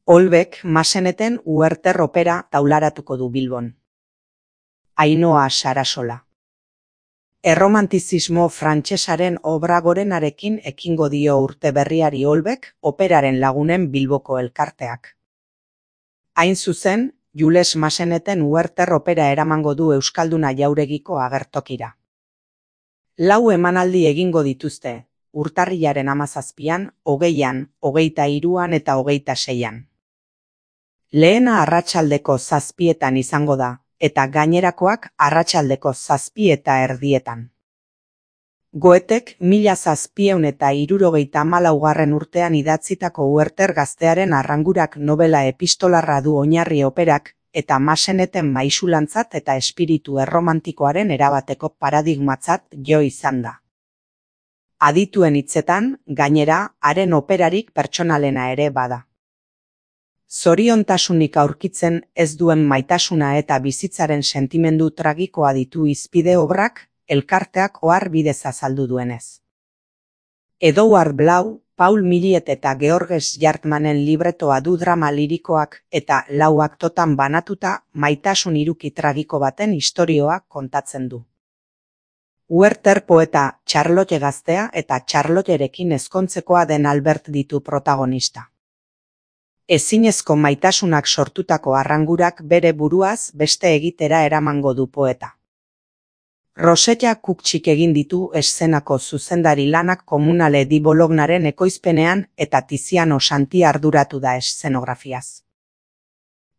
Olbek Maseneten Werther opera taularatuko du Bilbon. Ainhoa Sarasola. Erromantizismo frantsesaren obra gorenarekin ekingo dio urte berriari Olbek operaren lagunen Bilboko elkarteak. Hain zuzen, Jules Maseneten Werther opera eramango du Euskalduna Jauregiko agertokira. 4 emanaldi egingo dituzte, urtarrilaren 17an, 20an, 23an eta 26an. Lehena arratsaldeko 7etan izango da, eta gainerakoak arratsaldeko 7:30. Goetek 1774. urtean idatzitako Werther gaztearen arrangurak nobela epistolarra du oinarri operak, eta Maseneten maisulantzat eta espiritu erromantikoaren erabateko paradigmatzat jo izan da. Adituen hitzetan, gainera, haren operarik pertsonalena ere bada. Zoriontasunik aurkitzen ez duen maitasuna eta bizitzaren sentimendu tragikoa ditu hizpide obrak, elkarteak ohar bidez azaldu duenez. Edouard Blau, Paul Millet eta Georges Jartmanen libretoa du drama lirikoak eta 4 aktotan banatuta maitasun hiruki tragiko baten istorioa kontatzen du. Werther poeta Charlotte gaztea eta Charlotterekin ezkontzekoa den Albert ditu protagonista. Ezinezko maitasunak sortutako arrangurak bere buruaz beste egitera eramango du poeta. Rosetta Kukčik egin ditu eszenako zuzendari lanak Komunale di Bolognaren ekoizpenean eta Tiziano Santi arduratu da eszenografiaz.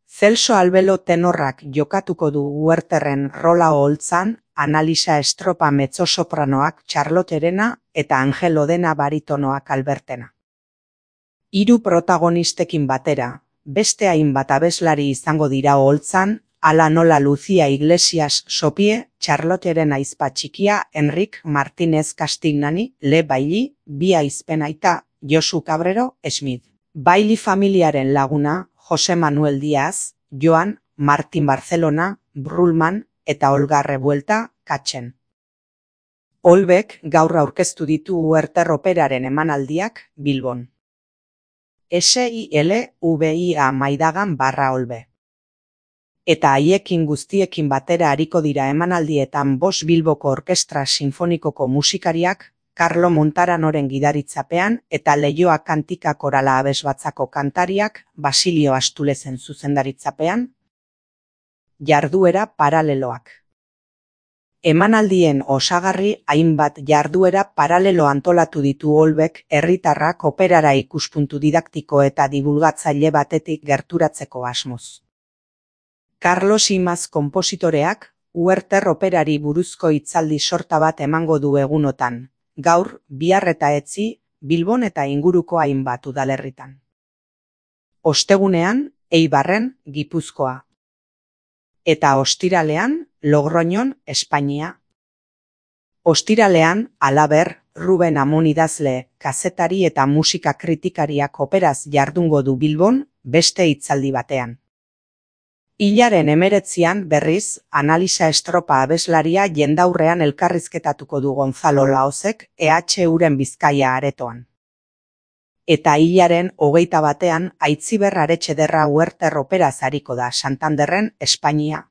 Celso Albelo tenorrak jokatuko du Wertherren rola oholtzan, Analisa Estropa mezzosopranoak Charlotterena eta Angel Odena baritonoak Albertena. 3 protagonistekin batera, beste hainbat abeslari izango dira oholtzan, hala nola Lucia Iglesias Sopie, Charlotteren ahizpa txikia Enric Martínez Castignani, Le Bailly, 2 ahizpen aita, Josu Cabrero, Schmidt. Bailly familiaren laguna, Jose Manuel Díaz, Joan, Martin Barcelona, Brullman eta Olga Revuelta, Katzen. Olbek gaur aurkeztu ditu Werther operaren emanaldiak Bilbon. SILVIA Maidagan/Olbe. Eta haiekin guztiekin batera ariko dira emanaldietan 5 Bilboko Orkestra Sinfonikoko musikariak, Carlo Montaranoren gidaritzapean eta Leioa Kantika Korala Abesbatzako kantariak, Basilio Astulezen zuzendaritzapean. Jarduera paraleloak. Emanaldien osagarri hainbat jarduera paralelo antolatu ditu Olbek herritarrak operara ikuspuntu didaktiko eta dibulgatzaile batetik gerturatzeko asmoz. Carlos Imaz konpositoreak Werther operari buruzko hitzaldi sorta bat emango du egunotan, gaur, bihar eta etzi, Bilbon eta inguruko hainbat udalerritan. Ostegunean, Eibarren, Gipuzkoa. Eta ostiralean, Logroñon, Espainia. Ostiralean, halaber, Ruben Amon idazle, kazetari eta musika kritikariak operaz jardungo du Bilbon, beste hitzaldi batean. Hilaren 19an berriz, Analisa Estropa abeslaria jendaurrean elkarrizketatuko du Gonzalo Laozek EHUren Bizkaia aretoan. Eta hilaren 21an Aitziber Aretxederra Werther operaz ariko da Santanderren, Espainia.